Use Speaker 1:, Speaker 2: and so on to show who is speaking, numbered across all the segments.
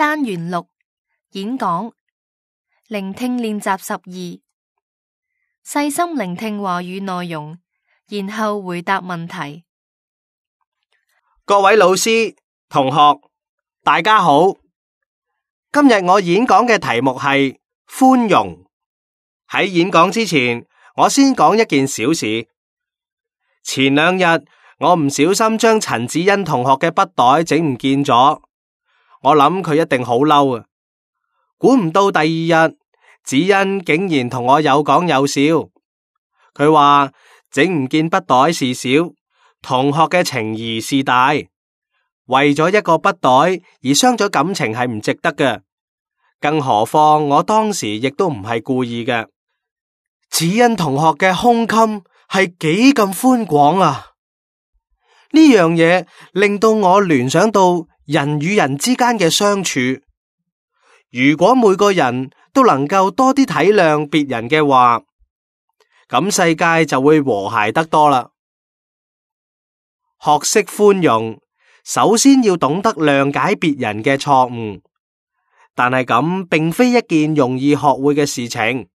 Speaker 1: 單元6演講聆聽練習12，細心聆聽話語內容，然後回答問題。
Speaker 2: 各位老師、同學，大家好。今日我演講嘅題目係寬容。喺演講之前，我先講一件小事。前兩日我唔小心將陳子欣同學嘅筆袋整唔見咗，我諗佢一定好嬲啊！估唔到第二日，子欣竟然同我有講有笑。佢話整唔見筆袋事小，同學嘅情誼是大。為咗一個筆袋而傷咗感情係唔值得嘅，更何況我當時亦都唔係故意嘅。子欣同學嘅胸襟係幾咁寬廣啊！呢樣嘢令到我聯想到人與人之間嘅相處。如果每個人都能夠多啲體諒別人嘅話，咁世界就會和諧得多啦。學識寬容，首先要懂得諒解別人嘅錯誤，但係咁並非一件容易學會嘅事情。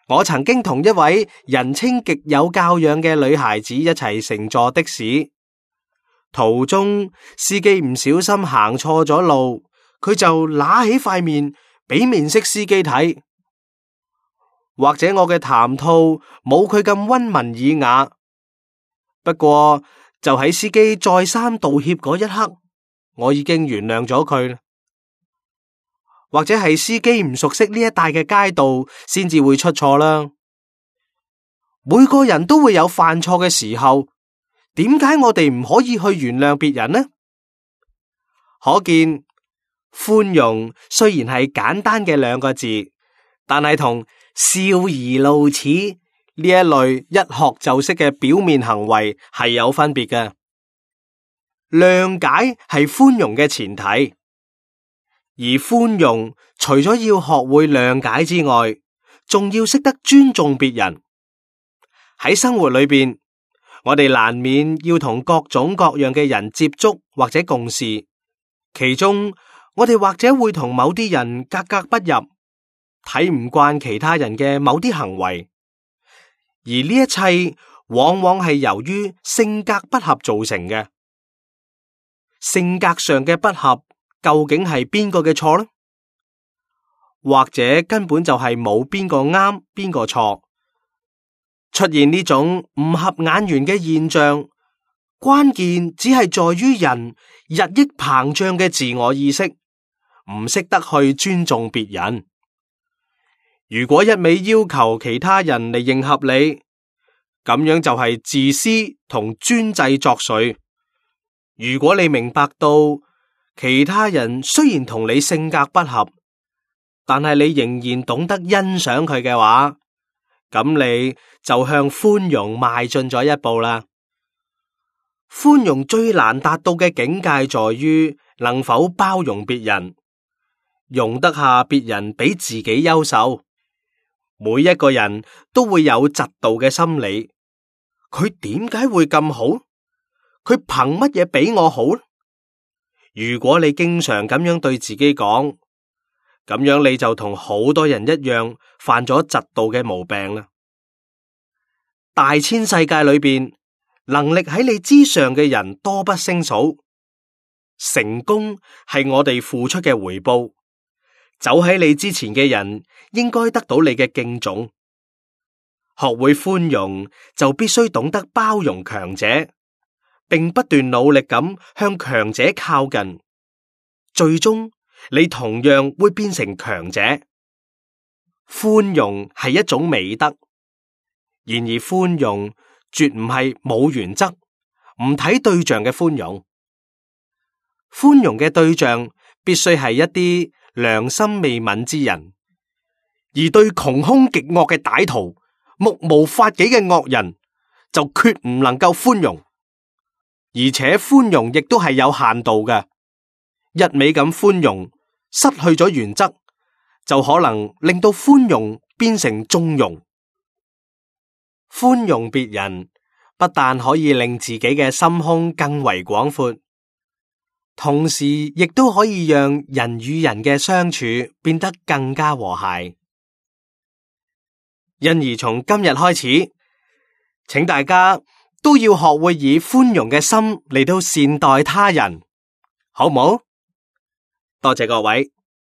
Speaker 2: 我曾經同一位人稱極有教養嘅女孩子一齊乘坐的士，途中司機唔小心行錯咗路，佢就揦起塊面俾面色司機睇。或者我嘅談吐冇佢咁溫文爾雅，不過就喺司機再三道歉嗰一刻，我已經原諒咗佢。或者係司機唔熟悉呢一帶嘅街道，先至會出錯啦。每個人都會有犯錯嘅時候，點解我哋唔可以去原諒別人呢？可見寬容雖然係簡單嘅兩個字，但係同笑而露齒呢一類一學就識嘅表面行為係有分別嘅。諒解係寬容嘅前提。而寬容除咗要學會諒解之外，仲要識得尊重別人。喺生活裏邊，我哋難免要同各種各樣嘅人接觸或者共事，其中我哋或者會同某啲人格格不入，睇唔慣其他人嘅某啲行為，而呢一切往往係由於性格不合造成嘅。性格上嘅不合，究竟係邊個嘅錯呢？或者根本就係冇邊個啱邊個錯。出現呢種唔合眼緣嘅現象，關鍵只係在於人日益膨脹嘅自我意識，唔識得去尊重別人。如果一味要求其他人嚟迎合你，咁樣就係自私同專制作祟。如果你明白到其他人雖然同你性格不合，但係你仍然懂得欣賞佢嘅話，咁你就向寬容邁進咗一步啦。寬容最難達到嘅境界在於能否包容別人，容得下別人比自己優秀。每一個人都會有嫉妒嘅心理，佢點解會咁好？佢憑乜嘢比我好？如果你經常咁樣對自己講，咁樣你就同好多人一樣犯咗嫉妒嘅毛病啦。大千世界裏邊，能力喺你之上嘅人多不勝數。成功係我哋付出嘅回報，走喺你之前嘅人應該得到你嘅敬重。學會寬容，就必須懂得包容強者，並不斷努力咁向強者靠近，最終你同樣會變成強者。寬容係一種美德，然而寬容絕唔係冇原則、唔睇對象嘅寬容。寬容嘅對象必須係一啲良心未泯之人，而對窮兇極惡嘅歹徒、目無法紀嘅惡人，就決唔能夠寬容。而且寬容亦都係有限度嘅，一味咁寬容，失去咗原則，就可能令到寬容變成縱容。寬容別人，不但可以令自己嘅心胸更為廣闊，同時亦都可以讓人與人嘅相處變得更加和諧。因而從今日開始，請大家都要學會以寬容嘅心嚟到善待他人，好唔好？多謝各位。